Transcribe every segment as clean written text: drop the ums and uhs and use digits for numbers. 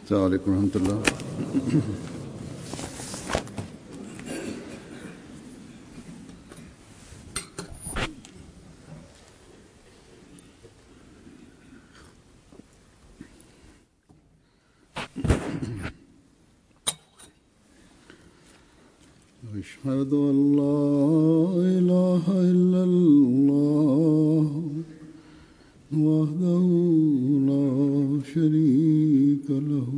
السلام عليكم ورحمة الله. أشهد أن لا إله إلا الله وحده لا شريك له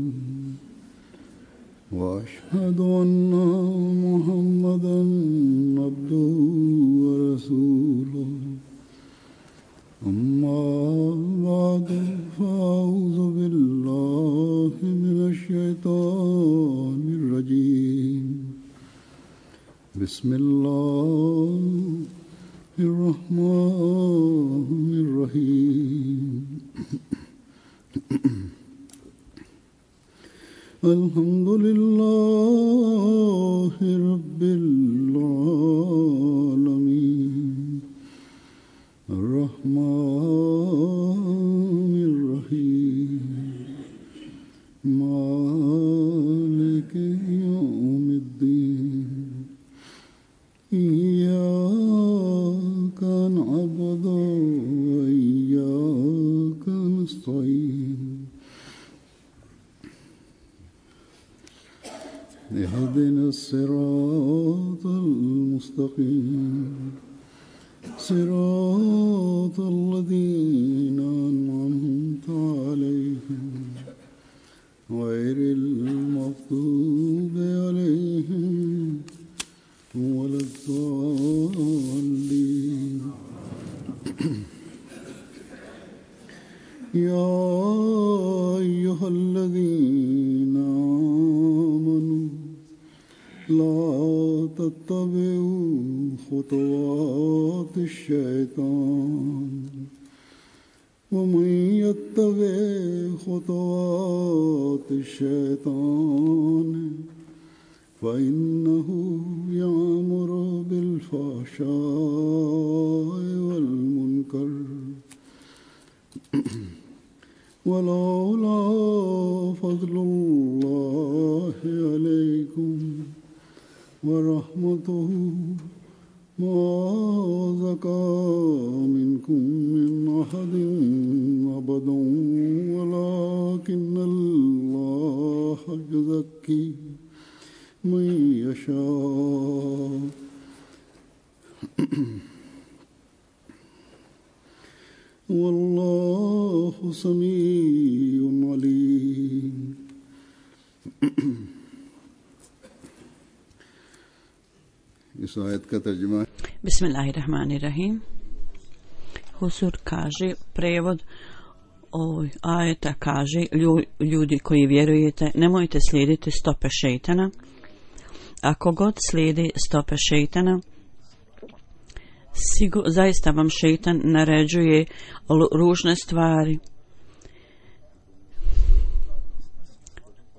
وأشهد أن محمدا عبده ورسوله أما بعد فأعوذ بالله من الشيطان الرجيم بسم الله الرحمن الرحيم الحمد لله رب العالمين الرحمن الرحيم مالك يوم الدين إياك نعبد وإياك نستعين اهدنا الصراط المستقيم صراط الذين أنعمت عليهم غير المغضوب عليهم ولا الضالين. يا أيها الذين آمنوا لا تتبعوا خطوات الشيطان ومن يتبع خطوات الشيطان فإنه يأمر بالفحشاء والمنكر ولولا فضل الله عليكم ورحمته ما زكى منكم من أحد أبدا ولكن الله يزكي من يشاء والله سميع عليم. इस आयत का तर्जुमा Bismillahirrahmanirrahim. Husur kaže, prevod ovoj ajeta kaže, ljudi koji vjerujete, nemojte slijediti stope šejtana. Ako god slijedi stope šejtana, zaista vam šejtan naređuje ružne stvari.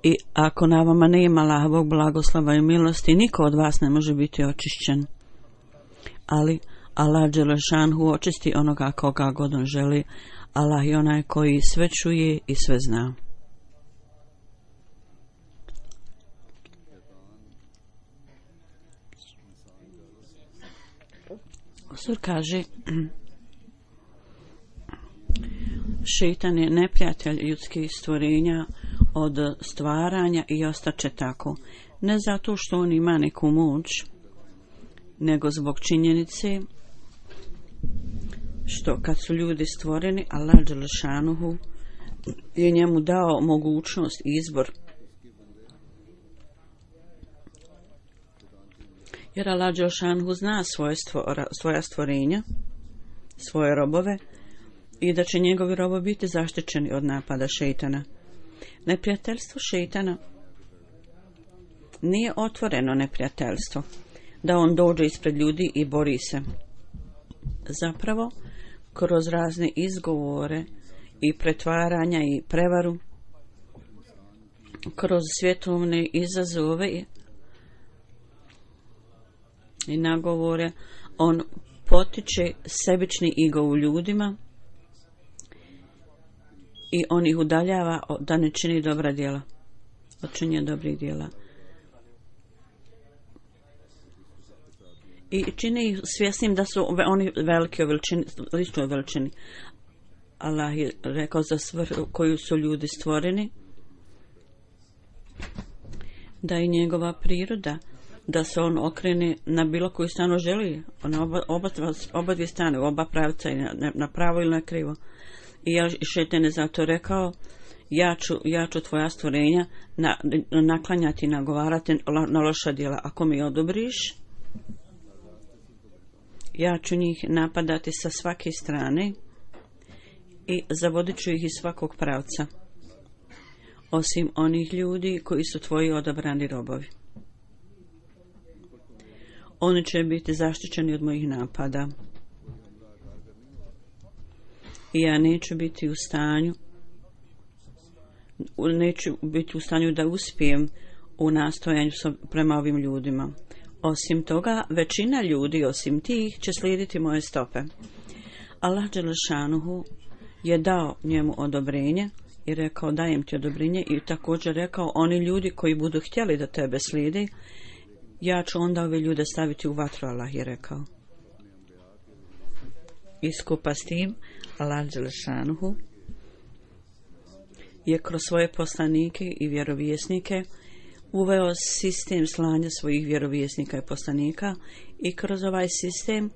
I ako na vama nema Allahovog blagoslova i milosti, niko od vas ne može biti očišćen. Ali Allah dželešanhu očisti onoga koga god on želi. Allah je onaj koji sve čuje i sve zna. Sur kaže, šejtan je neprijatelj ljudskih stvorenja od stvaranja i ostaće tako. Ne zato što on ima neku moć, nego zbog činjenice što kad su ljudi stvoreni, Allah dželešanuhu je njemu dao mogućnost i izbor. Jer Allah dželešanuhu zna svoja stvorenja, svoje robove, i da će njegovi robovi biti zaštićeni od napada šejtana. Neprijateljstvo šejtana nije otvoreno neprijateljstvo, da on dođe ispred ljudi i bori se. Zapravo, kroz razne izgovore i pretvaranja i prevaru, kroz svjetovne izazove i nagovore, on potiče sebični ego u ljudima i on ih udaljava da ne čini dobra djela. od činjenja dobrih djela. I čini ih svjesnim da su oni veliki o veličini, ličnoj veličini. Allah je rekao za svrhu koju su ljudi stvoreni, da je njegova priroda, da se on okrene na bilo koju stranu želi, na oba dvije strane, u oba pravca, na pravo ili na krivo. I šejtan je zato rekao, ja ću tvoja stvorenja naklanjati i nagovarati na loša djela. Ako mi odobriš, ja ću njih napadati sa svake strane i zavodit ću ih iz svakog pravca, osim onih ljudi koji su tvoji odabrani robovi. Oni će biti zaštićeni od mojih napada. I ja neću biti u stanju da uspijem u nastojanju prema ovim ljudima. Osim toga, većina ljudi, osim tih, će slijediti moje stope. Allah dželešanuhu je dao njemu odobrenje i rekao, dajem ti odobrenje, i također rekao, oni ljudi koji budu htjeli da tebe slijede, ja ću onda ove ljude staviti u vatru, Allah je rekao. I skupa s tim, Allah dželešanuhu je kroz svoje poslanike i vjerovjesnike uveo sistem slanja svojih vjerovjesnika i poslanika, i kroz ovaj sistem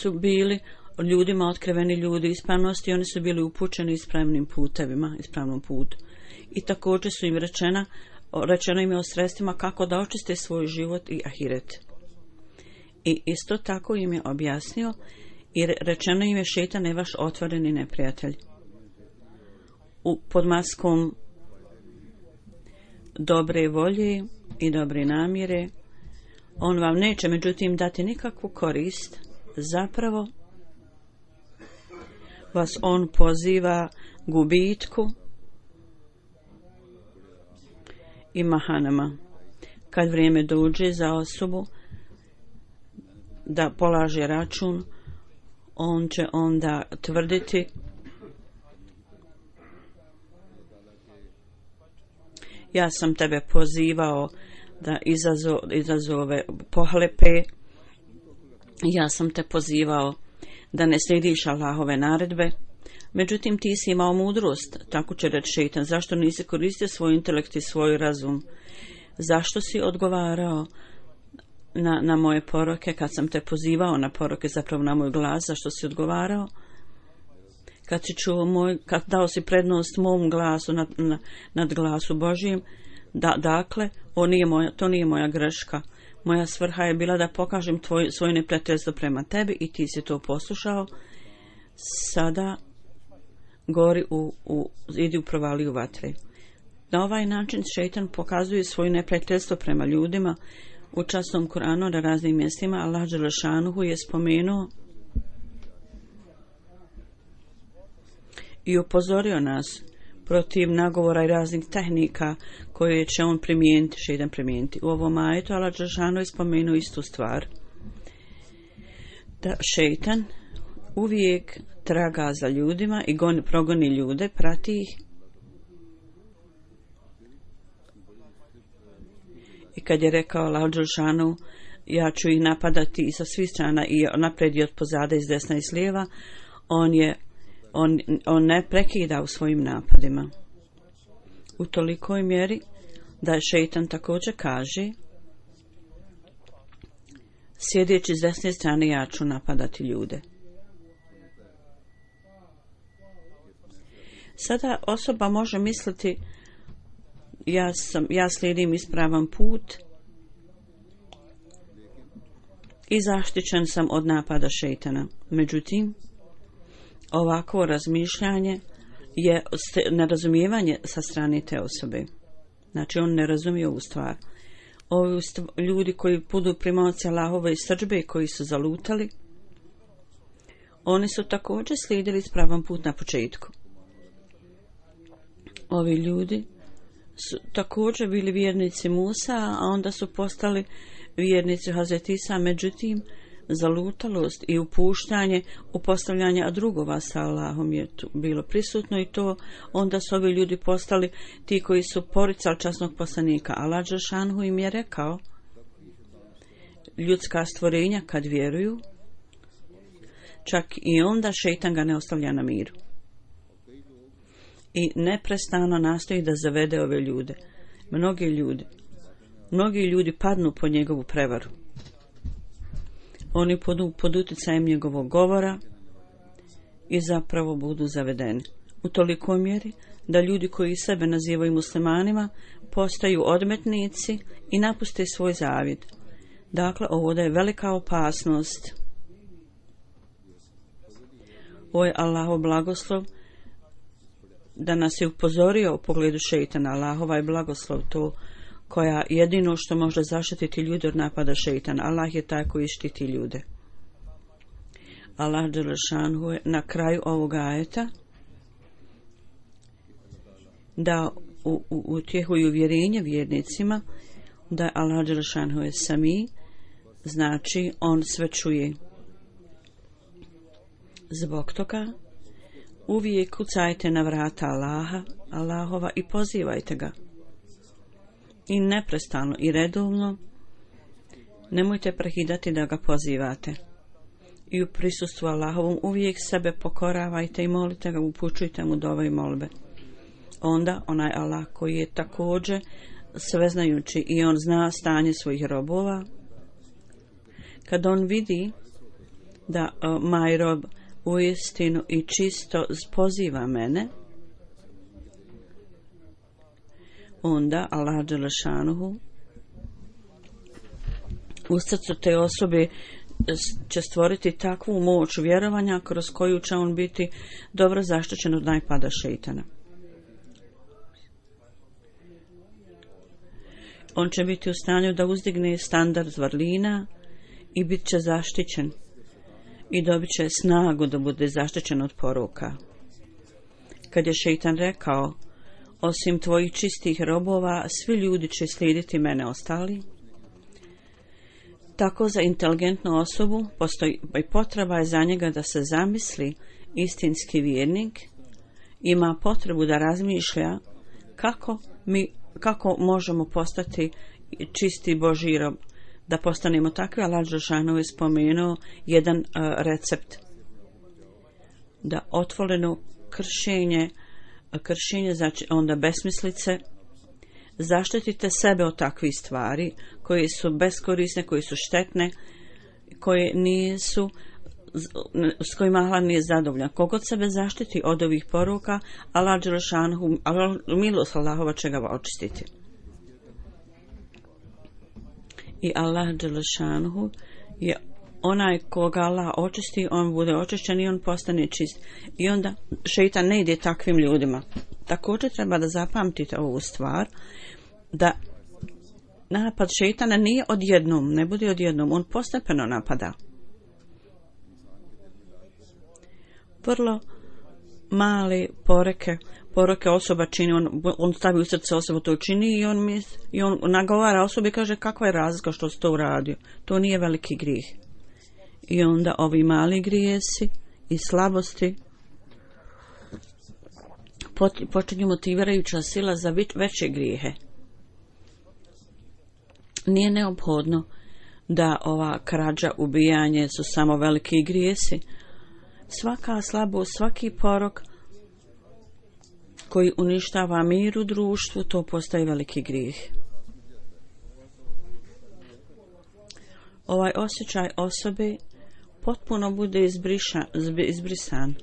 su bili ljudima otkriveni ljudi ispravnosti, oni su bili upućeni ispravnim putevima, ispravnom putu. I također su im rečeno im je o sredstvima kako da očiste svoj život i ahiret. I isto tako im je objasnio i rečeno im je, šejtan je vaš otvoreni neprijatelj. Pod maskom dobre volje i dobre namjere on vam neće međutim dati nikakvu korist, zapravo vas on poziva gubitku i mahanama. Kad vrijeme dođe za osobu da polaže račun, on će onda tvrditi ja sam tebe pozivao da izazove pohlepe, ja sam te pozivao da ne slijediš Allahove naredbe, međutim ti si imao mudrost, tako će reći šejtan, zašto nisi koristio svoj intelekt i svoj razum, zašto si odgovarao na moje poroke kad sam te pozivao na poroke, zapravo na moj glas, zašto si odgovarao, kad si čuo kad dao si prednost mom glasu nad glasu Božijim, dakle, to nije moja greška. Moja svrha je bila da pokažem svoje neprijateljstvo prema tebi i ti si to poslušao. Sada idi u provaliju vatre. Na ovaj način šejtan pokazuje svoje neprijateljstvo prema ljudima. U časnom Kur'anu na raznim mjestima Allah dželešanuhu je spomenuo i upozorio nas protiv nagovora i raznih tehnika koje će on šejtan primijeniti. U ovom ajetu Allah dželešanuhu je spomenuo istu stvar, da šejtan uvijek traga za ljudima i progoni ljude, prati ih. I kad je rekao Allah dželešanuhu, ja ću ih napadati i sa svih strana, i naprijed i od pozada, iz desna i s lijeva, on ne prekida u svojim napadima. U tolikoj mjeri da je šejtan također kaže, sjedeći s desne strane ja ću napadati ljude. Sada osoba može misliti, ja slijedim ispravan put i zaštićen sam od napada šejtana. Međutim, ovako razmišljanje je nerazumijevanje sa strane te osobe. Znači, on ne razumije ovu stvar. Ovi ljudi koji budu primaoci Allahove srdžbe, koji su zalutali, oni su također slijedili ispravan put na početku. Ovi ljudi su također bili vjernici Musa, a onda su postali vjernici Hazreti Isa, međutim, Zalutalost i upuštanje u postavljanje drugova sa Allahom je tu bilo prisutno i to onda su ovi ljudi postali ti koji su poricali časnog poslanika. Allah dželešanu im je rekao, ljudska stvorenja kad vjeruju, čak i onda šejtan ga ne ostavlja na miru. I neprestano nastoji da zavede ove ljude. Mnogi ljudi padnu pod njegovu prevaru. Oni pod utjecajem njegovog govora i zapravo budu zavedeni. U tolikoj mjeri da ljudi koji sebe nazivaju muslimanima postaju odmetnici i napuste svoj zavjet. Dakle, ovo da je velika opasnost. Ovo je Allahov blagoslov da nas je upozorio u pogledu šejtana. Allahova je blagoslov to koja jedino što može zaštititi ljude od napada šejtana. Allah je taj koji štiti ljude. Allah dželešanu je na kraju ovog ajeta da utjehuju uvjerenje vjernicima da je Allah dželešanu je sami, znači on sve čuje. Zbog toga uvijek kucajte na vrata Allahova i pozivajte ga. I neprestano i redovno nemojte prekidati da ga pozivate. I u prisustvu Allahovom uvijek sebe pokoravajte i molite ga, upućujte mu dove i molbe. Onda onaj Allah koji je također sveznajući i on zna stanje svojih robova, kad on vidi da moj rob uistinu i čisto poziva mene, onda Allah dželešanuhu u srcu te osobe će stvoriti takvu moć vjerovanja kroz koju će on biti dobro zaštićen od napada šejtana. On će biti u stanju da uzdigne standard vrlina i bit će zaštićen i dobit će snagu da bude zaštićen od poroka. Kad je šejtan rekao, osim tvojih čistih robova, svi ljudi će slijediti mene ostali, tako za inteligentnu osobu postoji i potreba je za njega da se zamisli istinski vjernik, ima potrebu da razmišlja kako možemo postati čisti Božji rob, da postanemo takvi. Allah dželešanu je spomenuo jedan recept, da otvoreno kršenje, znači onda besmislice, zaštitite sebe od takvih stvari koje su beskorisne, koje su štetne, koje nisu, s kojima Allah nije zadovoljan. Kogod sebe zaštiti od ovih poruka, Allah dželešanu, milost Allahova će ga očistiti. I Allah dželešanu je onaj koga Allah očisti, on bude očišćen i on postane čist. I onda šejtan ne ide takvim ljudima. Također treba da zapamtite ovu stvar, da napad šejtana nije odjednom, ne bude odjednom, on postepeno napada. Vrlo male poroke osoba čini, on stavi u srce osobu to čini i on nagovara osobi i kaže kakva je razlika što si to uradio. To nije veliki grijeh. I onda ovi mali grijesi i slabosti počinju motivirajuća sila za veće grijehe. Nije neophodno da ova krađa, ubijanje su samo veliki grijesi. Svaka slabost, svaki porok koji uništava mir u društvu, to postaje veliki grijeh. Ovaj osjećaj osobe potpuno bude izbrisan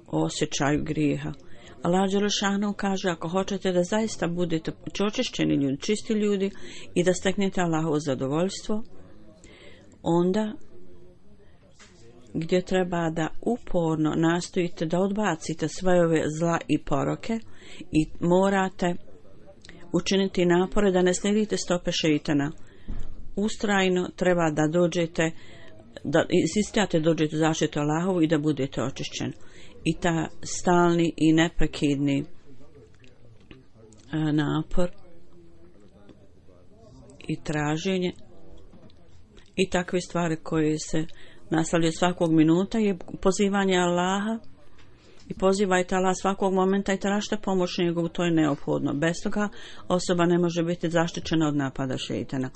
o osjećaju grijeha. Allah dželešanu kaže, ako hoćete da zaista budete očišćeni ljudi, čisti ljudi i da steknete Allahovo zadovoljstvo, onda gdje treba da uporno nastojite da odbacite sve ove zla i poroke i morate učiniti napore da ne slijedite stope šejtana. Ustrajno treba da dođete, da insistirate dođete zaštitu Allahovu i da budete očišćeni. I ta stalni i neprekidni napor i traženje i takve stvari koje se nastavljaju svakog minuta je pozivanje Allaha i pozivajte Allah svakog momenta i tražite pomoć njegovu, to je neophodno. Bez toga osoba ne može biti zaštićena od napada šejtana.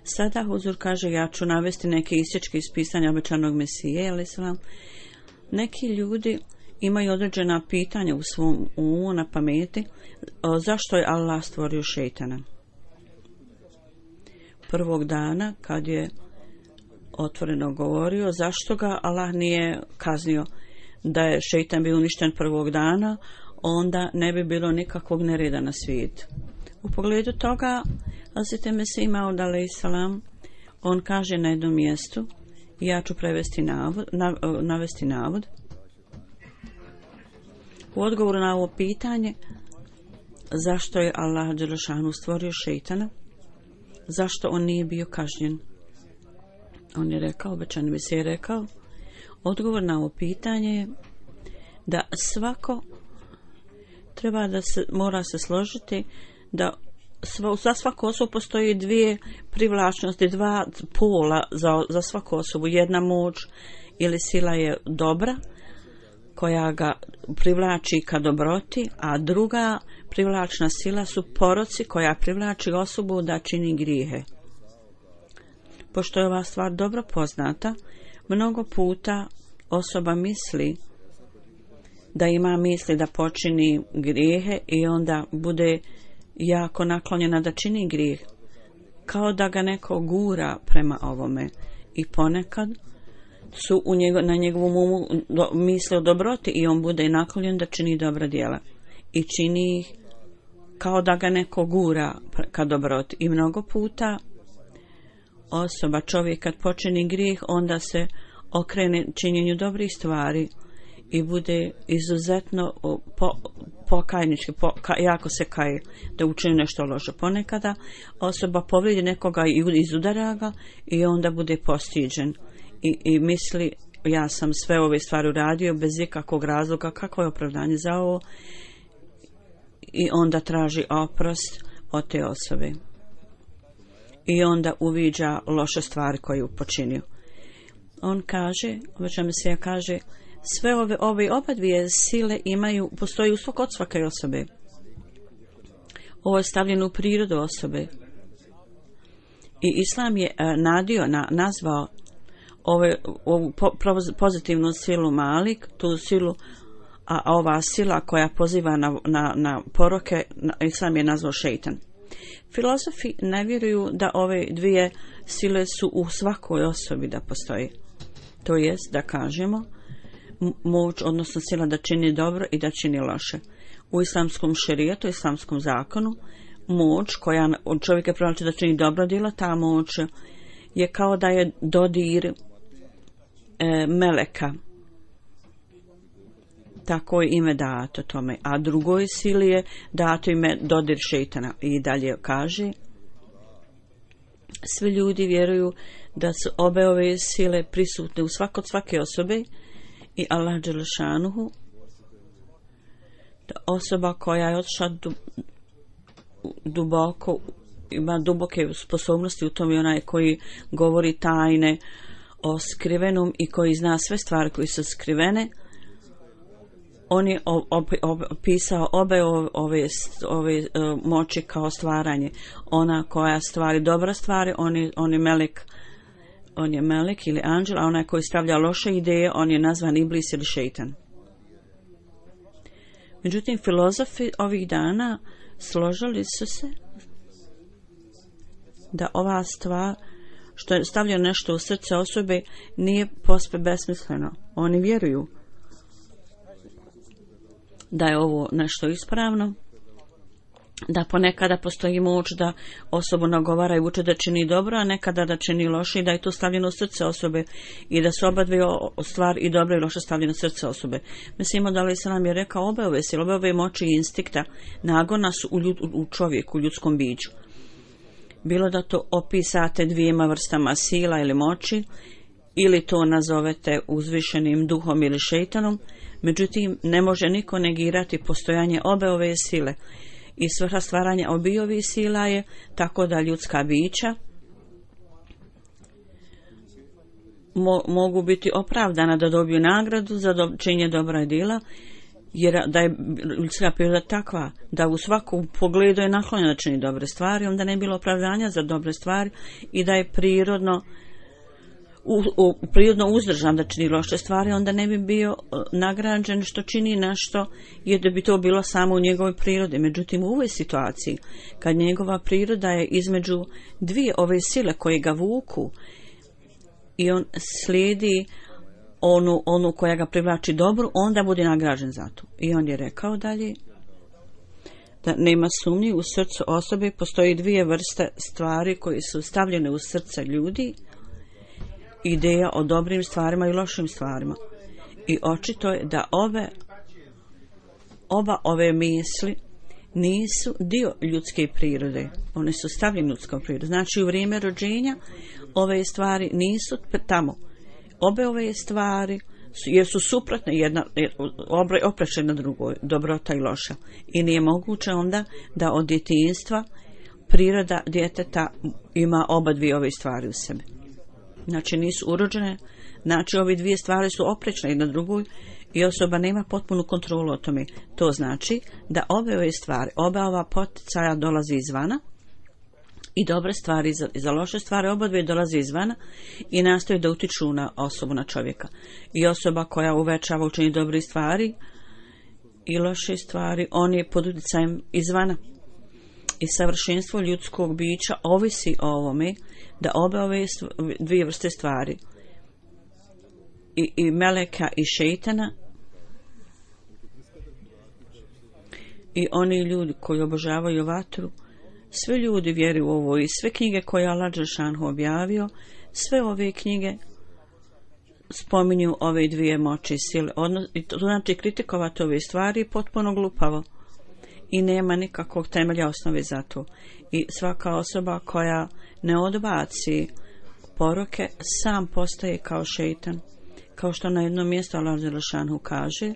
Sada Huzur kaže, ja ću navesti neke isječke iz pisanja obećanog Mesije, ali sam neki ljudi imaju određena pitanja u svom umu, na pameti, zašto je Allah stvorio šejtana. Prvog dana kad je otvoreno govorio zašto ga Allah nije kaznio, da je šejtan bio uništen prvog dana, onda ne bi bilo nikakvog nereda na svijetu. U pogledu toga Hazreti Mesih Maud alejselam, on kaže na jednom mjestu, ja ću navesti navod. U odgovoru na ovo pitanje, zašto je Allah dželešanu stvorio šejtana, zašto on nije bio kažnjen, on je rekao, obećani Mesih je rekao, odgovor na ovo pitanje je da svako treba da se mora se složiti da za svaku osobu postoji dvije privlačnosti, dva pola za svaku osobu. Jedna moć ili sila je dobra koja ga privlači ka dobroti, a druga privlačna sila su poroci koja privlači osobu da čini grijehe. Pošto je ova stvar dobro poznata, mnogo puta osoba misli da ima misli da počini grijehe i onda bude jako naklonjena da čini grijeh, kao da ga neko gura prema ovome, i ponekad su na njegovom umu misle o dobroti i on bude naklonjen da čini dobra djela i čini ih kao da ga neko gura ka dobroti. I mnogo puta osoba, čovjek kad počini grijeh, onda se okrene činjenju dobrih stvari i bude izuzetno pokajnički, jako se kaje da učini nešto loše. Ponekada osoba povrijedi nekoga i izudara ga i onda bude postiđen i misli, ja sam sve ove stvari uradio bez ikakvog razloga, kakvo je opravdanje za ovo, i onda traži oprost od te osobe i onda uviđa loše stvari koje je počinio. On kaže, obećan Mesija kaže, sve ove oba dvije sile postoji u kod svake osobe. Ovo je stavljeno u prirodu osobe. I Islam je nazvao ovu pozitivnu silu Malik, tu silu, a ova sila koja poziva na poroke, Islam je nazvao šejtan. Filozofi ne vjeruju da ove dvije sile su u svakoj osobi da postoji. To jest da kažemo moć, odnosno sila da čini dobro i da čini loše. U islamskom šerijatu, islamskom zakonu, moć koja od čovjeka privlači da čini dobro djelo, ta moć je kao da je dodir meleka. Tako je ime dato tome. A drugoj sili je dato ime dodir šejtana. I dalje kaže, svi ljudi vjeruju da su obe ove sile prisutne u svake osobe i Allah dželešanuhu, da osoba koja je otišla duboko, ima duboke sposobnosti u tom, i onaj koji govori tajne o skrivenom i koji zna sve stvari koje su skrivene. On je opisao obe ove moći kao stvaranje. Ona koja stvari dobra stvari, on je melek ili anđel, a onaj koji stavlja loše ideje, on je nazvan iblis ili šejtan. Međutim, filozofi ovih dana složili su se da ova stvar, što je stavljeno nešto u srce osobe, nije posve besmisleno. Oni vjeruju da je ovo nešto ispravno, da ponekada postoji moć da osobu nagovara i uče da čini dobro, a nekada da čini loše, i da je to stavljeno u srce osobe i da su oba dvije stvari, i dobro i loše, stavljeno u srce osobe. Mislimo da li se nam je rekao, obe ove moći i instinkta nagona su u čovjeku, u ljudskom biću. Bilo da to opisate dvijema vrstama sila ili moći, ili to nazovete uzvišenim duhom ili šejtanom, međutim ne može niko negirati postojanje obe ove sile. I svrha stvaranja obiju sila je tako da ljudska bića mogu biti opravdana da dobiju nagradu za činjenje dobra djela, jer da je ljudska priroda takva da u svakom pogledu je naklonjena da čini dobre stvari, onda ne bi bilo opravdanja za dobre stvari i da je prirodno uzdržan da čini loše stvari, onda ne bi bio nagrađen što čini nešto, jer da bi to bilo samo u njegovoj prirodi. Međutim, u ovoj situaciji, kad njegova priroda je između dvije ove sile koje ga vuku i on slijedi onu koja ga privlači dobru, onda bude nagrađen za to. I on je rekao dalje da nema sumnje, u srcu osobe postoji dvije vrste stvari koje su stavljene u srce ljudi, ideja o dobrim stvarima i lošim stvarima. I očito je da oba ove misli nisu dio ljudske prirode. One su stavljene u ljudskom prirodu. Znači u vrijeme rođenja ove stvari nisu tamo. Obe ove stvari jer su suprotne, jedna oprečne na drugoj, dobrota i loša. I nije moguće onda da od djetinjstva priroda djeteta ima oba dvije ove stvari u sebi. Znači nisu urođene, znači ove dvije stvari su oprečne jedna drugoj i osoba nema potpunu kontrolu o tome. To znači da obe ove stvari, oba ova poticaja dolazi izvana i dobre stvari i za loše stvari, oba dvije dolaze izvana i nastoje da utiču na osobu, na čovjeka. I osoba koja uvećava učenje dobrih stvari i loše stvari, on je pod utjecajem izvana. I savršenstvo ljudskog bića ovisi o ovome da obe ove dvije vrste stvari i meleka i šejtana i oni ljudi koji obožavaju vatru, sve ljudi vjeruju u ovo i sve knjige koje Allah dželešanu objavio, sve ove knjige spominju ove dvije moći i sile. To znači kritikovati ove stvari je potpuno glupavo i nema nikakvog temelja osnove za to. I svaka osoba koja ne odbaci poroke sam postaje kao šejtan. Kao što na jednom mjestu Allah dželešanu kaže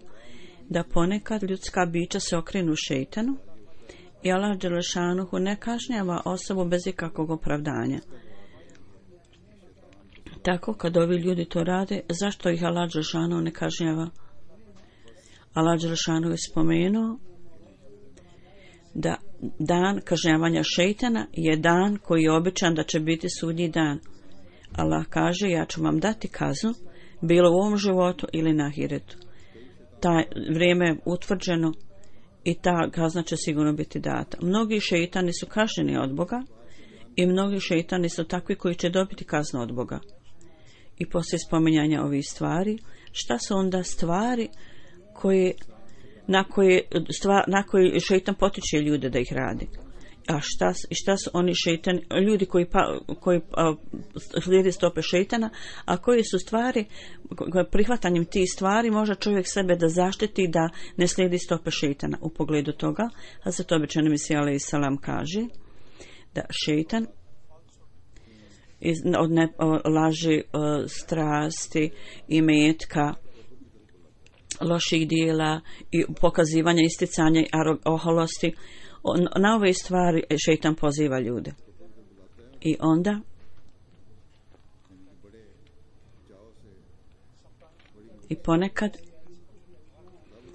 da ponekad ljudska bića se okrenu šejtanu i Allah dželešanu ne kažnjava osobu bez ikakvog opravdanja. Tako kad ovi ljudi to rade, zašto ih Allah dželešanu ne kažnjava? Allah dželešanu je spomenuo da dan kažnjavanja šejtana je dan koji je običan da će biti sudnji dan. Allah kaže, ja ću vam dati kaznu, bilo u ovom životu ili na ahiretu. Ta vrijeme je utvrđeno i ta kazna će sigurno biti data. Mnogi šejtani su kažnjeni od Boga i mnogi šejtani su takvi koji će dobiti kaznu od Boga. I poslije spominjanja ovih stvari, šta su onda stvari na koje šejtan potiče ljude da ih radi? A šta su oni šejtani, ljudi koji slijede stope šejtana, a koji su stvari, prihvatanjem tih stvari može čovjek sebe da zaštiti da ne slijedi stope šejtana. U pogledu toga, a za to običajno Mesija alejhi selam kaže da šejtan od laži, strasti, imetka, loših dijela i pokazivanja, isticanja i oholosti, na ove stvari šejtan poziva ljude. I onda i ponekad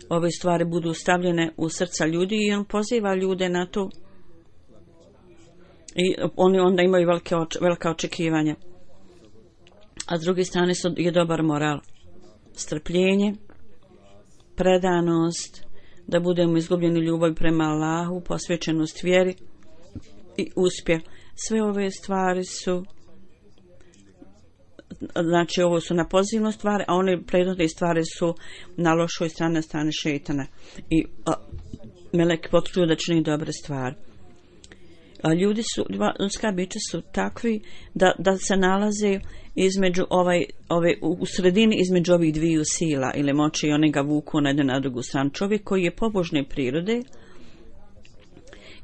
ove stvari budu stavljene u srca ljudi i on poziva ljude na to i oni onda imaju velika očekivanja. A s druge strane je dobar moral, strpljenje, predanost, da budemo izgubljeni ljubav prema Allahu, posvećenost vjeri i uspjeh. Sve ove stvari su, znači ovo su na pozitivnu stvari, a one prednosti stvari su na lošoj strani šejtana. I meleki potvrđuju da čini dobre stvari. A ljudska bića su takvi da se nalaze između u sredini između ovih dviju sila ili moći i one ga vuku na jednu na drugu stranu. Čovjek koji je pobožne prirode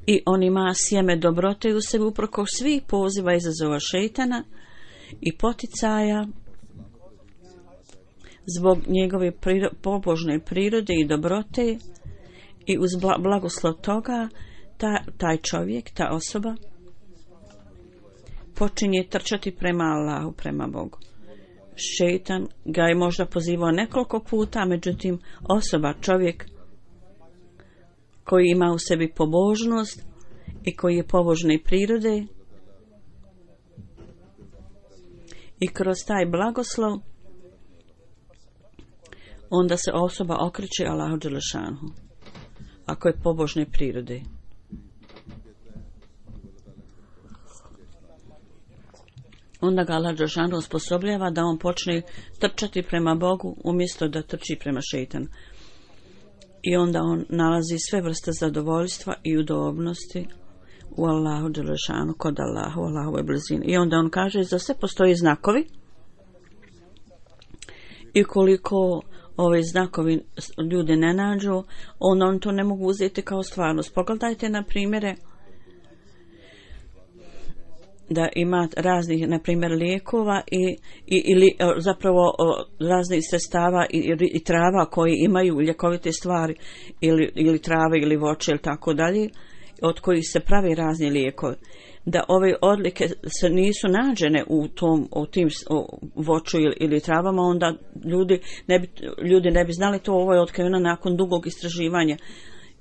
i on ima sjeme dobrote u sebi uprkos svih poziva izazova šejtana i poticaja zbog njegove pobožne prirode i dobrote i uz blagoslov toga taj čovjek, ta osoba počinje trčati prema Allahu, prema Bogu. Šejtan ga je možda pozivao nekoliko puta, međutim osoba, čovjek koji ima u sebi pobožnost i koji je pobožne prirode i kroz taj blagoslov onda se osoba okreće Allahu dželešanhu ako je pobožne prirode. Onda ga Allah dželešanhu osposobljava da on počne trčati prema Bogu umjesto da trči prema šejtanu. I onda on nalazi sve vrste zadovoljstva i udobnosti u Allahu dželešanu, kod Allahu, Allahove blizine. I onda on kaže, za sve postoji znakovi i koliko ove znakovi ljudi ne nađu, onda on to ne mogu uzeti kao stvarnost. Pogledajte na primjere da ima raznih, na primjer, lijekova ili zapravo raznih sredstava i trava koji imaju ljekovite stvari ili trave ili voće ili tako dalje, od kojih se pravi razni lijekovi. Da ove odlike se nisu nađene u tim voću ili travama, onda ljudi ne bi znali to. Ovo je otkriveno nakon dugog istraživanja.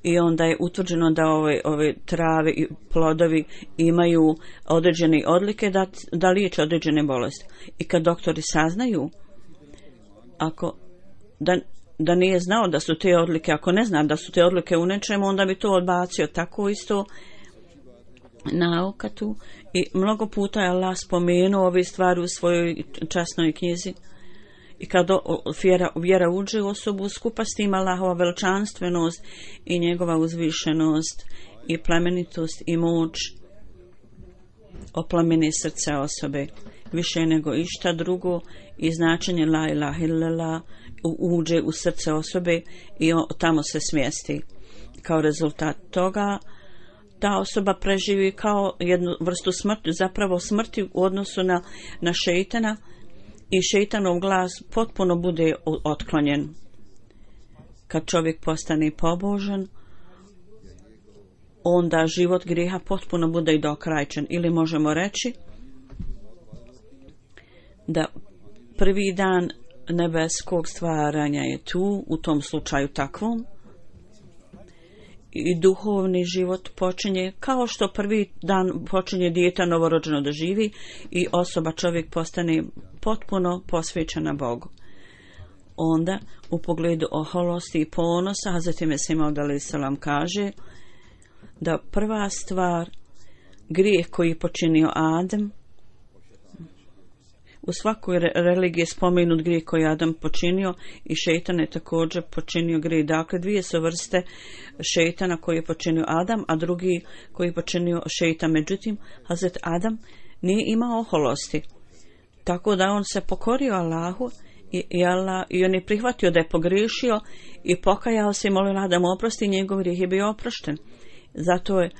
I onda je utvrđeno da ove trave i plodovi imaju određene odlike da liječe određene bolesti. I kad doktori saznaju, da nije znao da su te odlike, ako ne zna da su te odlike u nečemu, onda bi to odbacio. Tako isto nauka tu. I mnogo puta je Allah spomenuo ove stvari u svojoj časnoj knjizi. I kad vjera uđe u osobu, skupa s tim Allahova veličanstvenost i njegova uzvišenost i plemenitost i moć oplameni srce osobe više nego išta drugo i značenje la ilaha illallah uđe u srce osobe i tamo se smjesti. Kao rezultat toga ta osoba preživi kao jednu vrstu smrti, zapravo smrti u odnosu na šejtana, i šejtanov glas potpuno bude otklonjen. Kad čovjek postane pobožan, onda život grijeha potpuno bude i dokrajčen. Ili možemo reći da prvi dan nebeskog stvaranja je tu, u tom slučaju takvom, i duhovni život počinje kao što prvi dan počinje dijete novorođeno da živi i osoba, čovjek postane potpuno posvećena Bogu. Onda u pogledu oholosti i ponosa Hazreti Mesih Maud alejhi selam kaže da prva stvar, grijeh koji je počinio Adem, u svakoj religiji je spomenut grijeh koji je Adam počinio i šejtan je također počinio grijeh. Dakle, dvije su vrste šejtana koji je počinio Adam, a drugi koji je počinio šejtan. Međutim, Hazret Adam nije imao oholosti. Tako da on se pokorio Allahu i on je prihvatio da je pogriješio i pokajao se i molio da mu oprosti, njegov grijeh je bio oprošten. Zato je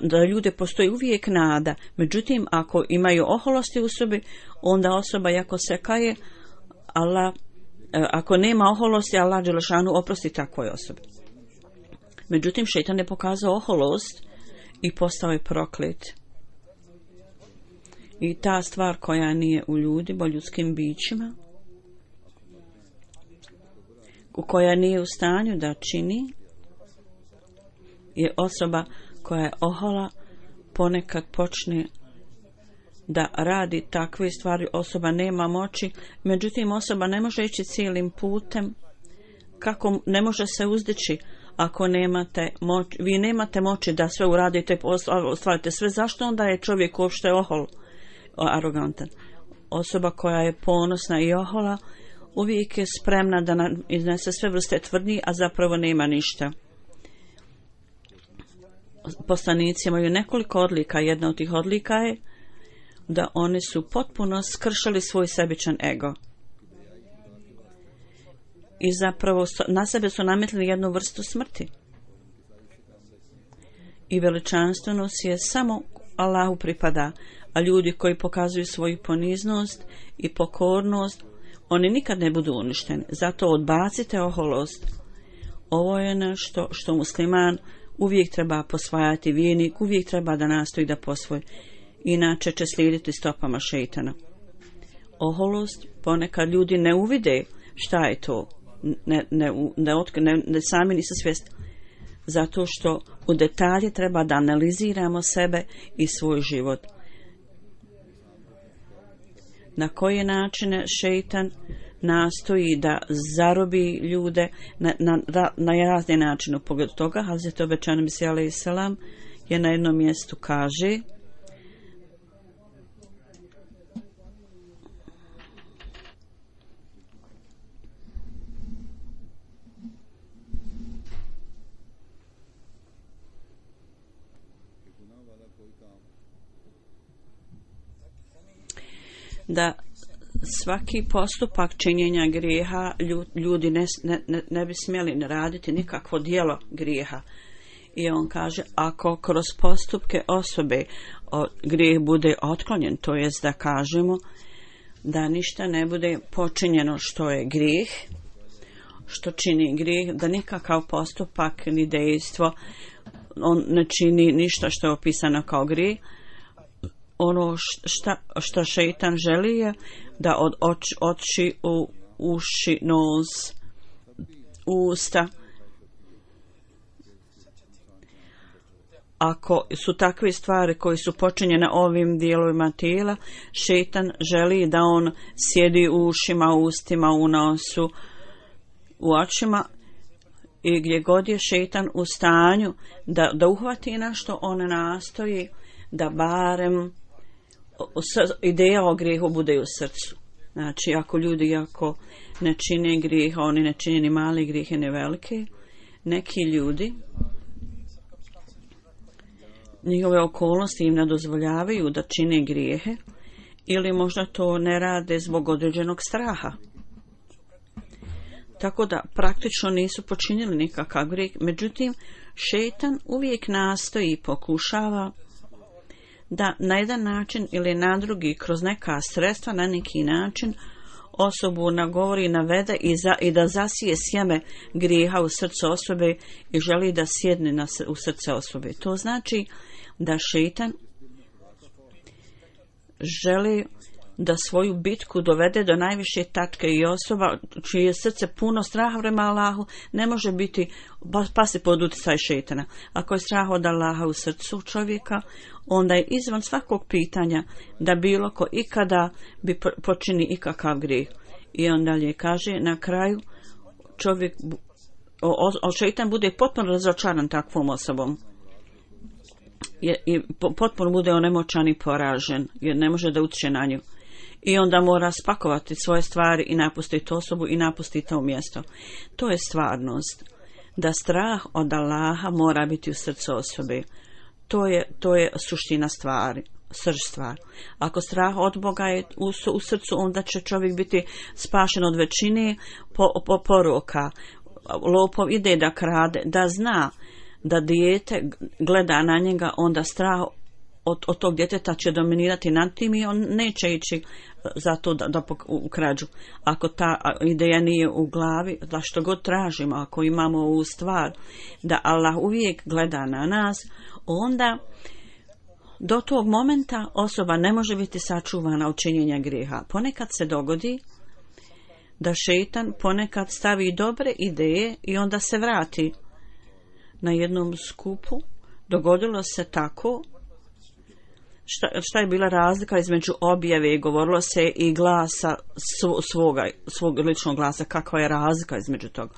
da ljude postoji uvijek nada. Međutim, ako imaju oholosti u sebi, onda osoba jako se kaje, ako nema oholosti, Allah dželešanu oprosti takvoj osobi. Međutim, šejtan je pokazao oholost i postao je proklet. I ta stvar koja nije u ljudima, ljudskim bićima, koja nije u stanju da čini, je osoba koja je ohola, ponekad počne da radi takve stvari. Osoba nema moći, međutim osoba ne može ići cijelim putem. Kako ne može se uzdići ako nemate moć? Vi nemate moći da sve uradite, ostvarite sve. Zašto onda je čovjek uopšte ohol, arogantan? Osoba koja je ponosna i ohola uvijek je spremna da iznese sve vrste tvrdnji, a zapravo nema ništa. Poslanici imaju nekoliko odlika. Jedna od tih odlika je da oni su potpuno skršali svoj sebičan ego i zapravo na sebe su nametili jednu vrstu smrti. I veličanstvenost je samo Allahu pripada, a ljudi koji pokazuju svoju poniznost i pokornost, oni nikad ne budu uništeni. Zato odbacite oholost. Ovo je nešto što musliman uvijek treba posvajati, vjernik uvijek treba da nastoji da posvoji, inače će slijediti stopama šejtana. oholost, ponekad ljudi ne uvide šta je to, ne sami nisu svjesni, zato što u detalje treba da analiziramo sebe i svoj život. Na koje načine šejtan nastoji da zarobi ljude na razne načine. U pogledu toga Hazreti obećani Mesija alejhi selam je na jednom mjestu kaže: da svaki postupak činjenja grijeha ljudi ne bi smjeli ne raditi nikakvo djelo grijeha. I on kaže, ako kroz postupke osobe grijeh bude otklonjen, to jest da kažemo da ništa ne bude počinjeno što je grijeh, što čini grijeh, da nikakav postupak ni dejstvo on ne čini ništa što je opisano kao grijeh. Ono što šejtan želi je da od oči u uši, nos, usta, ako su takve stvari koje su počinjene ovim dijelovima tijela, šejtan želi da on sjedi u ušima, u ustima, u nosu, u očima, i gdje god je šejtan u stanju da uhvati nešto, on nastoji da barem ideja o grijehu bude u srcu. Znači, ako ljudi ne čine grijeh, oni ne čine ni mali grijehe, ni velike, neki ljudi, njihove okolnosti im ne dozvoljavaju da čine grijehe, ili možda to ne rade zbog određenog straha. Tako da praktično nisu počinili nikakav grijeh. Međutim, šejtan uvijek nastoji i pokušava da na jedan način ili na drugi, kroz neka sredstva, na neki način osobu nagovori, navede i da zasije sjeme grijeha u srcu osobe i želi da sjedne u srce osobe. To znači da šejtan želi da svoju bitku dovede do najviše tačke i osoba čije srce puno straha prema Allahu ne može biti pasti pod utjecaj šejtana. Ako je strah od Allaha u srcu čovjeka, onda je izvan svakog pitanja da bilo ko ikada bi počini ikakav grijeh. I on dalje kaže, na kraju čovjek, šejtan bude potpuno razočaran takvom osobom. I potpuno bude onemoćan i poražen, jer ne može da utječe na nju. I onda mora spakovati svoje stvari i napustiti osobu i napustiti to mjesto. To je stvarnost. Da strah od Allaha mora biti u srcu osobe. To je suština stvari, srž stvar. Ako strah od Boga je u srcu, onda će čovjek biti spašen od većine poroka. Lopov ide da krade, da zna da dijete gleda na njega, onda strah od tog djeteta će dominirati nad tim i on neće ići za to da ukrađu. Ako ta ideja nije u glavi, da što god tražimo, ako imamo ovu stvar da Allah uvijek gleda na nas, onda do tog momenta osoba ne može biti sačuvana od činjenja grijeha. Ponekad se dogodi da šejtan ponekad stavi dobre ideje i onda se vrati. Na jednom skupu dogodilo se tako, šta je bila razlika između objave, govorilo se i glasa svog ličnog glasa, kakva je razlika između toga.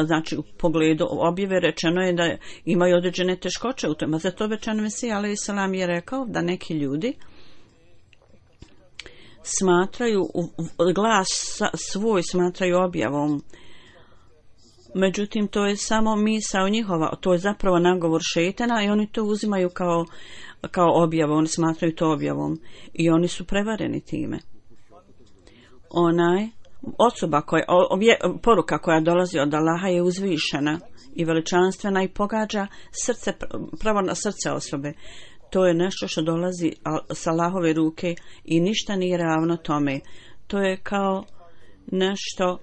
Znači, u pogledu objave rečeno je da imaju određene teškoće u tome. Zato obećani Mesija alejhi selam je rekao da neki ljudi smatraju glas svoj smatraju objavom. Međutim, to je samo misao njihova, to je zapravo nagovor šejtana i oni to uzimaju kao objavu, oni smatraju to objavom i oni su prevareni time. Osoba poruka koja dolazi od Allaha je uzvišena i veličanstvena i pogađa srce, pravo na srce osobe. To je nešto što dolazi sa Allahove ruke i ništa nije ravno tome. To je kao nešto,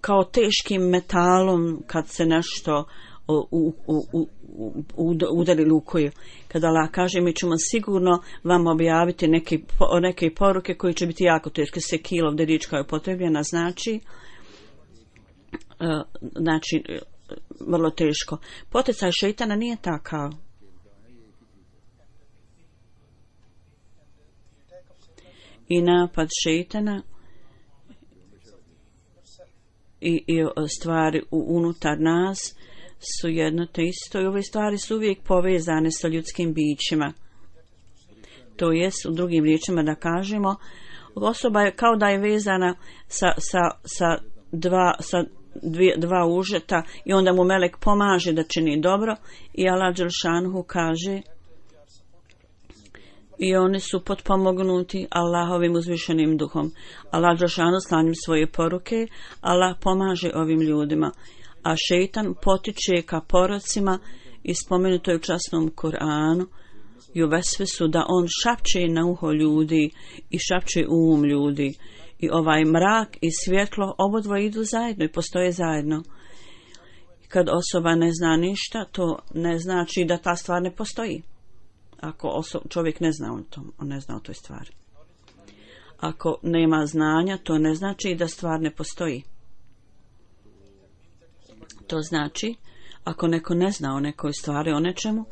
kao teškim metalom kad se nešto udarili u koju. Kada Allah kaže mi ćemo sigurno vam objaviti neke poruke koji će biti jako teške. Sekil, ovdje riječ koja je upotrebljena, znači vrlo teško. Poticaj šejtana nije takav. I napad šejtana i stvari unutar nas su jedno te isto i ove stvari su uvijek povezane sa ljudskim bićima. To jest, u drugim riječima da kažemo, osoba je kao da je vezana sa dva užeta i onda mu melek pomaže da čini dobro i Allah dželšanhu kaže i oni su potpomognuti Allahovim uzvišenim duhom. Allah dželšanhu slanjem svoje poruke, Allah pomaže ovim ljudima, a šejtan potiče ka porocima i spomenuto je u časnom Kur'anu i u vesvesu da on šapće na uho ljudi i šapće u um ljudi. I ovaj mrak i svjetlo obodvoje idu zajedno i postoje zajedno. Kad osoba ne zna ništa, to ne znači da ta stvar ne postoji. Ako čovjek ne zna on ne zna o toj stvari. Ako nema znanja, to ne znači da stvar ne postoji. To znači, ako neko ne zna o nekoj stvari, o nečemu,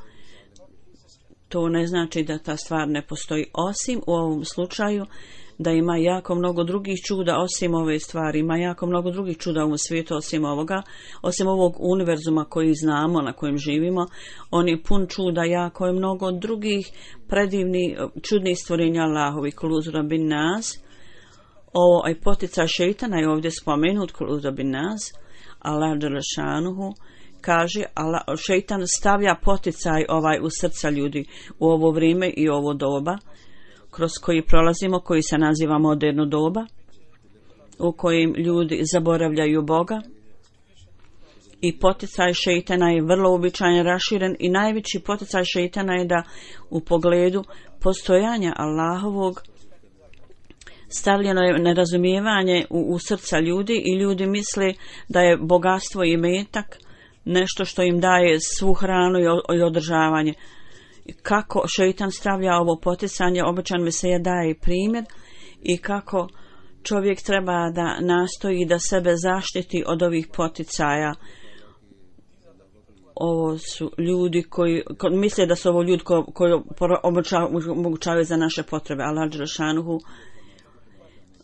to ne znači da ta stvar ne postoji, osim u ovom slučaju da ima jako mnogo drugih čuda osim ove stvari, ima jako mnogo drugih čuda u svijetu osim ovoga, osim ovog univerzuma koji znamo, na kojem živimo. On je pun čuda, jako je mnogo drugih predivnih, čudnih stvorenja Allahovi. Kuluzura bin nas, ovaj poticaj šejtana je ovdje spomenut, kuluzura bin nas, Allah dželešanuhu kaže, šejtan stavlja poticaj u srca ljudi u ovo vrijeme i ovo doba kroz koji prolazimo, koji se naziva moderno doba, u kojim ljudi zaboravljaju Boga, i poticaj šejtana je vrlo uobičajen, raširen, i najveći poticaj šejtana je da u pogledu postojanja Allahovog stavljeno je nerazumijevanje u srca ljudi i ljudi misle da je bogatstvo i metak nešto što im daje svu hranu i održavanje. Kako šejtan stavlja ovo poticanje, običan Mesija daje primjer i kako čovjek treba da nastoji da sebe zaštiti od ovih poticaja. Ovo su ljudi koji misle da su ovo ljudi koji omogućavaju za naše potrebe. Allah dželešanuhu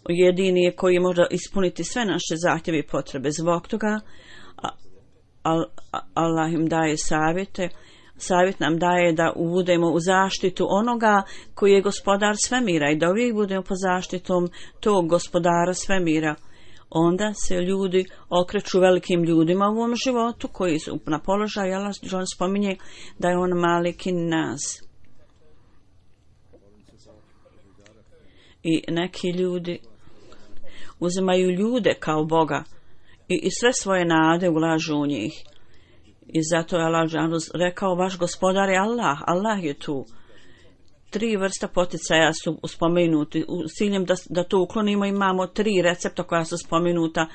jedini je koji može ispuniti sve naše zahtjeve i potrebe. Zbog toga Allah im daje savjete. Savjet nam daje da budemo u zaštitu onoga koji je gospodar svemira i da uvijek budemo pod zaštitom tog gospodara svemira. Onda se ljudi okreću velikim ljudima u ovom životu koji su na položaju. Allah spominje da je on malikin nas. I neki ljudi uzimaju ljude kao Boga i sve svoje nade ulažu u njih. I zato je Allah rekao, vaš gospodar je Allah, Allah je tu. 3 vrsta poticaja su spomenuti. U ciljem da to uklonimo imamo 3 recepta koja su spomenuta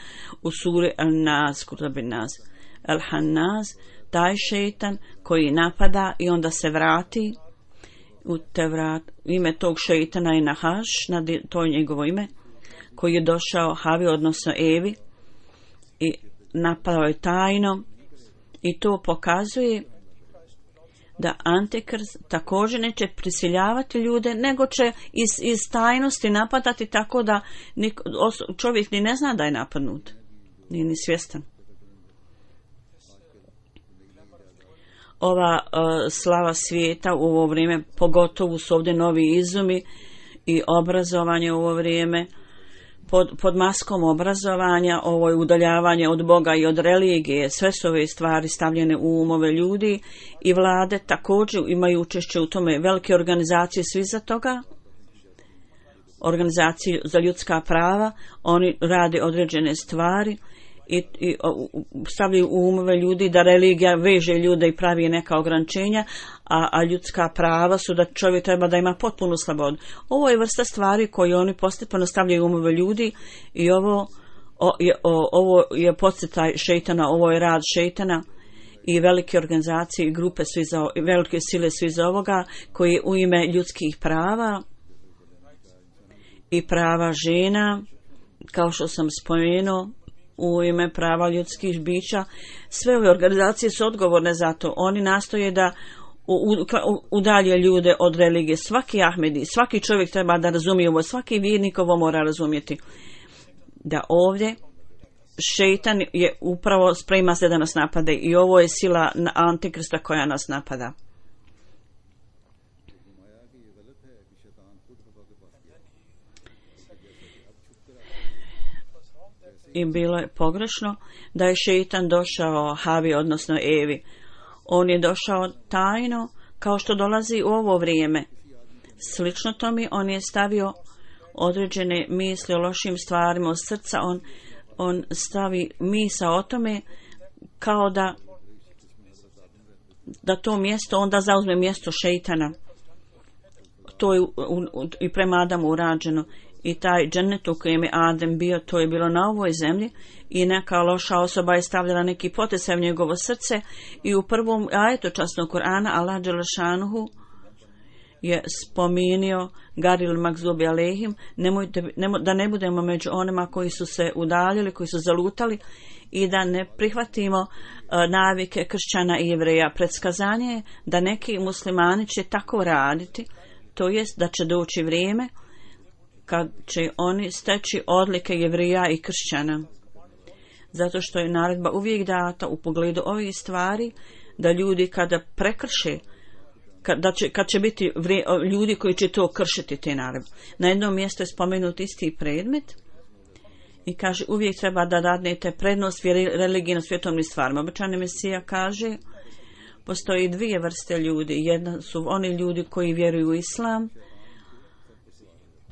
u suri Al-Nas, Kurabin Nas. Al-Hannaz, taj šejtan koji napada i onda se vrati u Tevrat. Ime tog šejtana je Nahaš, to je njegovo ime, koji je došao Havi, odnosno Evi, i napao je tajno. I to pokazuje da Antikrist također neće prisiljavati ljude, nego će iz tajnosti napadati tako da čovjek ni ne zna da je napadnut, nije ni svjestan. Ova slava svijeta u ovo vrijeme, pogotovo su ovdje novi izumi i obrazovanje u ovo vrijeme, pod maskom obrazovanja, ovo je udaljavanje od Boga i od religije. Sve su ove stvari stavljene u umove ljudi i vlade također imaju učešće u tome. Velike organizacije svi za toga, organizacije za ljudska prava, oni rade određene stvari i stavljaju u umove ljudi da religija veže ljude i pravi neka ograničenja, a ljudska prava su da čovjek treba da ima potpunu slobodu. Ovo je vrsta stvari koje oni postepeno stavljaju u umove ljudi i ovo je podsjetaj šejtana, ovo je rad šejtana i velike organizacije i grupe su velike sile su iz ovoga, koji u ime ljudskih prava i prava žena, kao što sam spomenuo, u ime prava ljudskih bića, sve ove organizacije su odgovorne za to. Oni nastoje da udalje ljude od religije. Svaki Ahmedi, svaki čovjek treba da razumije ovo, svaki vjernik ovo mora razumjeti. Da ovdje šeitan je upravo sprema se da nas napade i ovo je sila Antikrista koja nas napada. I bilo je pogrešno da je šeitan došao Havi, odnosno Evi. On je došao tajno, kao što dolazi u ovo vrijeme. Slično tome, on je stavio određene misli o lošim stvarima od srca. On stavi misao o tome kao da to mjesto onda zauzme mjesto šeitana. To je i prema Adamu urađeno. I taj džennet u kojem je Adem bio, to je bilo na ovoj zemlji i neka loša osoba je stavljala neki potisaj u njegovo srce i u prvom ajetu časnog Kur'ana Allah dželešanuhu je spominio Garil Magzubi Alehim, da ne budemo među onima koji su se udaljili, koji su zalutali i da ne prihvatimo navike kršćana i jevreja. Predskazanje je da neki muslimani će tako raditi, to jest da će doći vrijeme kad će oni steći odlike jevrija i kršćana. Zato što je naredba uvijek data u pogledu ovih stvari, da ljudi kada prekrše, kad će biti ljudi koji će to kršiti te naredbe. Na jednom mjestu je spomenut isti predmet i kaže uvijek treba da dadnete prednost religiji na svjetovnim stvarima. Obećani Mesija kaže postoji dvije vrste ljudi. Jedna su oni ljudi koji vjeruju u islam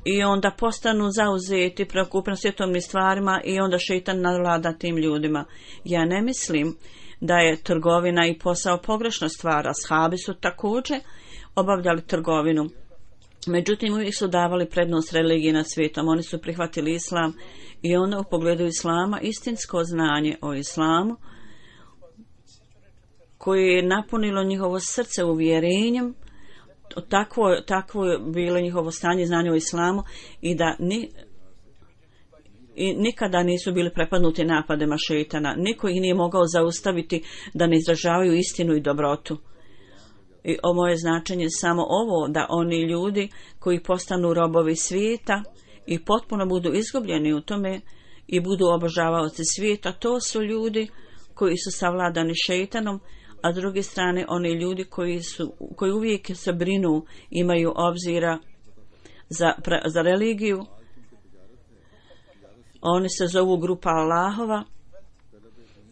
i onda postanu zauzeti preokupno svjetovnim stvarima i onda šeitan navlada tim ljudima. Ja ne mislim da je trgovina i posao pogrešna stvar. Ashabi su također obavljali trgovinu. Međutim, uvijek su davali prednost religiji nad svijetom. Oni su prihvatili islam i onda u pogledu islama istinsko znanje o islamu koje je napunilo njihovo srce uvjerenjem. Takvo je bilo njihovo stanje znanja o islamu i da nikada nisu bili prepadnuti napadima šeitana. Niko ih nije mogao zaustaviti da ne izražavaju istinu i dobrotu. I ovo je značenje samo ovo, da oni ljudi koji postanu robovi svijeta i potpuno budu izgubljeni u tome i budu obožavaoci svijeta, to su ljudi koji su savladani šeitanom, a s druge strane oni ljudi koji uvijek se brinu, imaju obzira za religiju. Oni se zovu grupa Allahova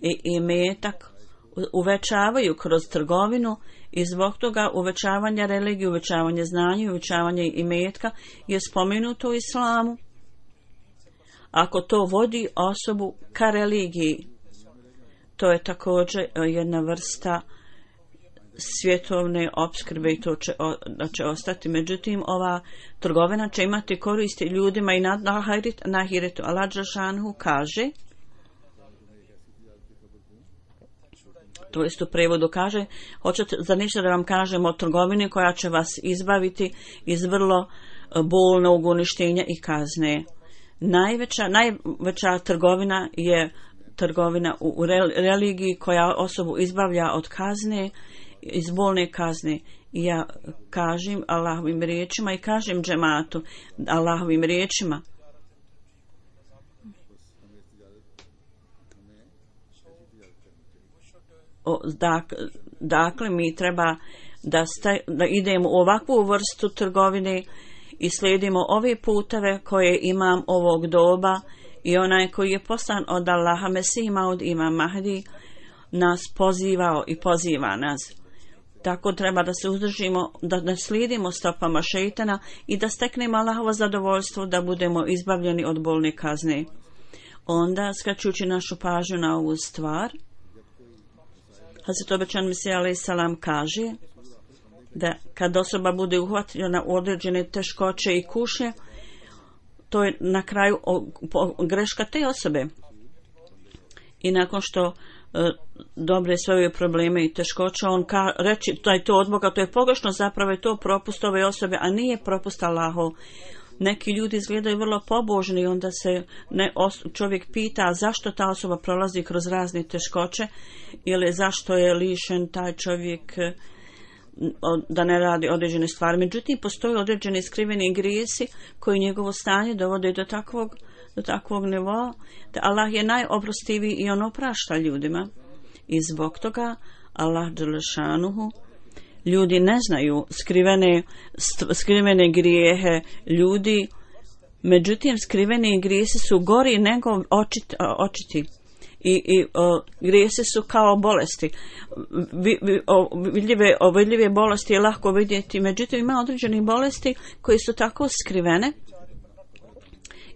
i imetak uvećavaju kroz trgovinu i zbog toga uvećavanja religije, uvećavanje znanja i uvećavanje imetka je spomenuto u islamu. Ako to vodi osobu ka religiji, to je također jedna vrsta svjetovne opskrbe i to će ostati. Međutim, ova trgovina će imati koristi ljudima i na ahiretu. Allah dželešanuhu kaže, to jest u prevodu kaže, hoćete za ništa da vam kažem o trgovini koja će vas izbaviti iz vrlo bolnog uništenja i kazne. Najveća trgovina je trgovina u religiji koja osobu izbavlja od kazne, iz bolne kazne. I ja kažem Allahovim riječima i kažem džematu Allahovim riječima. Dakle, mi treba da idemo u ovakvu vrstu trgovine i slijedimo ove puteve koje imam ovog doba i onaj koji je poslan od Allaha, Mesih Maud Imam Mahdi, nas pozivao i poziva nas. Tako treba da se uzdržimo, da ne slijedimo stopama šeitana i da steknemo Allahovo zadovoljstvo, da budemo izbavljeni od bolne kazne. Onda, skraćujući našu pažnju na ovu stvar, Hazret obećan Mesija alejhi selam kaže da kad osoba bude uhvaćena u određene teškoće i kušnje, to je na kraju greška te osobe. I nakon što dobre svoje probleme i teškoće, on reći da je to od Boga, to je pogrešno, zapravo je to propust ove osobe, a nije propust Allahov. Neki ljudi izgledaju vrlo pobožni i onda se čovjek pita zašto ta osoba prolazi kroz razne teškoće ili zašto je lišen taj čovjek da ne radi određene stvari. Međutim, postoje određeni skriveni grijesi koji njegovo stanje dovode do takvog nivoa da Allah je najoprostiviji i on oprašta ljudima. I zbog toga Allah dželešanuhu, ljudi ne znaju skrivene grijehe ljudi, međutim skriveni grijesi su gori nego očiti. I grijesi su kao bolesti. Vidljive bolesti je lako vidjeti, međutim ima određenih bolesti koji su tako skrivene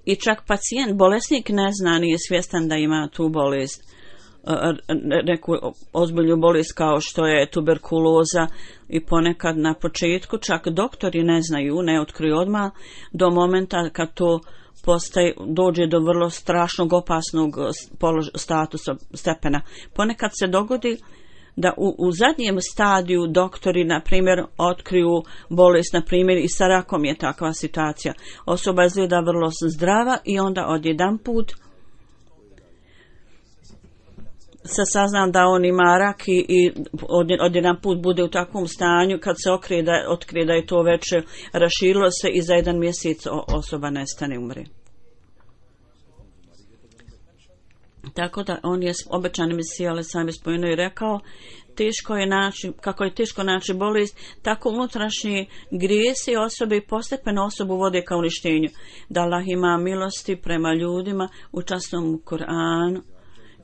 i čak pacijent, bolesnik ne zna, nije svjestan da ima tu bolest, neku ozbiljnu bolest kao što je tuberkuloza i ponekad na početku čak doktori ne znaju, ne otkriju odmah do momenta kad to dođe do vrlo strašnog opasnog stepena. Ponekad se dogodi da u zadnjem stadiju doktori, na primjer, otkriju bolest, na primjer, i sa rakom je takva situacija. Osoba izgleda vrlo zdrava i onda odjedanput se sazna da on ima rak i odjedanput bude u takvom stanju kad se otkrije da je to već raširilo se i za 1 mjesec osoba nestane, umre. Tako da on je obećani Mesija, ali sam je spomenuo i rekao, kako je teško naći bolest, tako unutrašnji grijesi osobe i postepeno osobu vode ka uništenju. Da Allah ima milosti prema ljudima, u časnom Kur'anu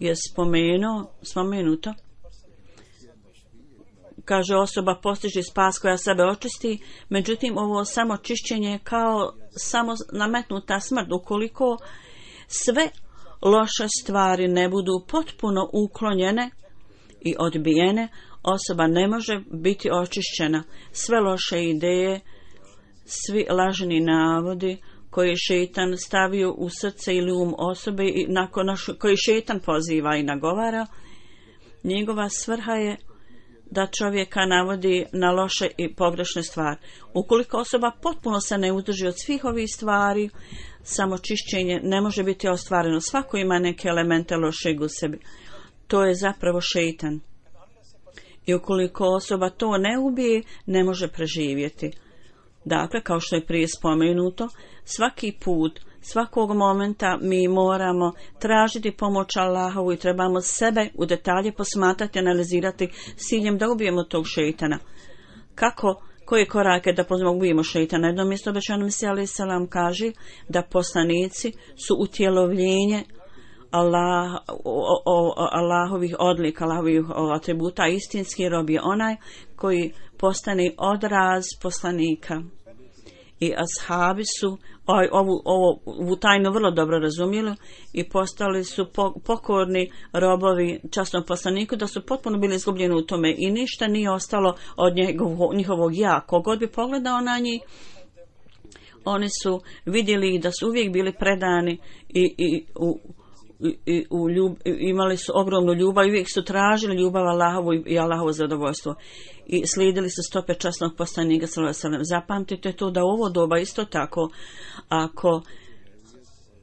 je spomenuto. Kaže, osoba postiže spas koja sebe očisti, međutim ovo samo čišćenje kao samo nametnuta smrt. Ukoliko sve loše stvari ne budu potpuno uklonjene i odbijene, osoba ne može biti očišćena. Sve loše ideje, svi lažni navodi koji je šeitan stavio u srce ili osobe i koji šeitan poziva i nagovara, njegova svrha je da čovjeka navodi na loše i pogrešne stvari. Ukoliko osoba potpuno se ne uzdrži od svih ovih stvari, samo čišćenje ne može biti ostvareno. Svako ima neke elemente lošeg u sebi. To je zapravo šeitan. I ukoliko osoba to ne ubije, ne može preživjeti. Dakle, kao što je prije spomenuto, svaki put, svakog momenta mi moramo tražiti pomoć Allahovu i trebamo sebe u detalje posmatrati, analizirati s ciljem da ubijemo tog šeitana. Koje korake da ubijemo šeitana? Jedno mjesto obećanom Mesija alejhi selam kaže da poslanici su utjelovljenje Allahovih odlika, Allahovih atributa. Istinski rob je onaj koji postane odraz poslanika. I ashabi su ovu tajnu vrlo dobro razumjeli i postali su pokorni robovi časnom poslaniku, da su potpuno bili izgubljeni u tome i ništa nije ostalo od njihovog ja. Kogod bi pogledao na njih, oni su vidjeli da su uvijek bili predani imali su ogromnu ljubav i uvijek su tražili ljubav Allahovu i Allahovo zadovoljstvo i slijedili su stope časnog poslanika sallallahu alejhi ve sellem. Zapamtite to da u ovo doba isto tako,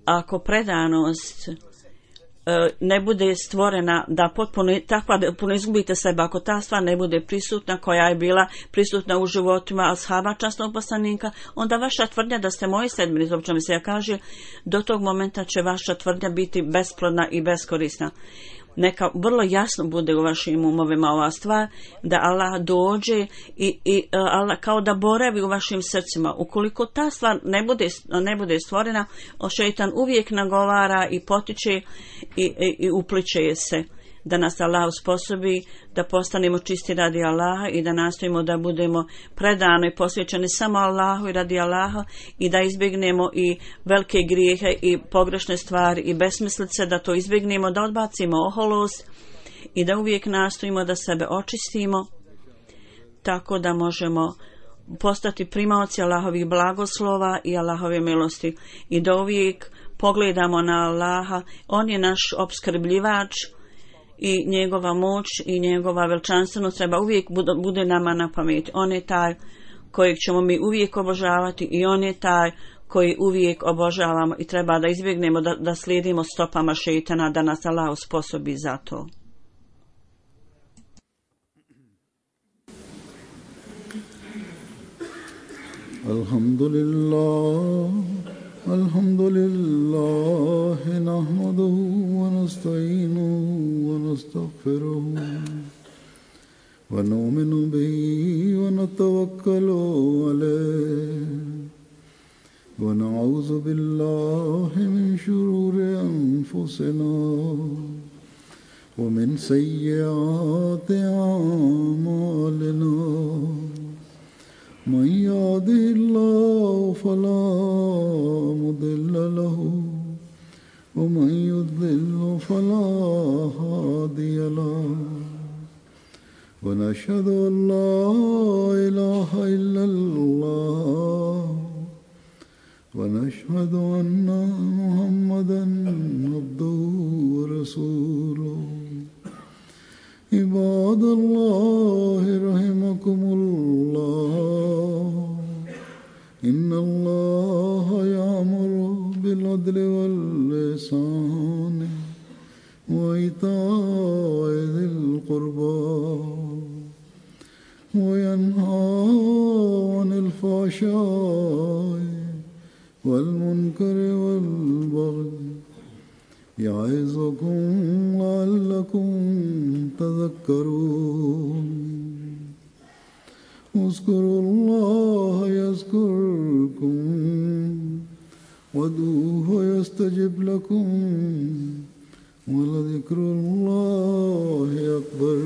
ako predanost ne bude stvorena da potpuno izgubite sebe, ako ta stvar ne bude prisutna koja je bila prisutna u životima ashaba časnog poslanika, onda vaša tvrdnja da ste moji sledbenici, uopće mi se kaže, do tog momenta će vaša tvrdnja biti besplodna i beskorisna. Neka vrlo jasno bude u vašim umovima ova stvar, da Allah dođe i Allah kao da boravi u vašim srcima. Ukoliko ta stvar ne bude stvorena, šejtan uvijek nagovara i potiče i upliče se. Da nas Allah usposobi da postanemo čisti radi Allaha i da nastojimo da budemo predano i posvećeni samo Allahu i radi Allaha i da izbjegnemo i velike grijehe i pogrešne stvari i besmislice, da to izbjegnemo, da odbacimo oholost i da uvijek nastojimo da sebe očistimo tako da možemo postati primaoci Allahovih blagoslova i Allahove milosti i da uvijek pogledamo na Allaha. On je naš opskrbljivač i njegova moć i njegova veličanstvenost treba uvijek bude nama na pameti. On je taj kojeg ćemo mi uvijek obožavati i on je taj koji uvijek obožavamo i treba da izbjegnemo da slijedimo stopama šejtana, da nas Allah usposobi za to. Alhamdulillah nahmaduhu wa nasta'inuhu wa nastaghfiruhu wa nu'minu bihi wa natawakkalu alayhi ونعوذ بالله من شرور أنفسنا ومن سيئات أعمالنا من يهده الله فلا مضل له ومن يضلل فلا هادي له ونشهد أن لا إله إلا الله ونشهد أن محمدًا عبده ورسوله عباد الله رحمكم الله إن الله يأمر بالعدل والإحسان وإيتاء ذي القربى وينهى عن الفحشاء والمنكر والبغي يعظكم لعلكم تذكرون اذكروا الله يذكركم وادعوه يستجب لكم ولذكر الله أكبر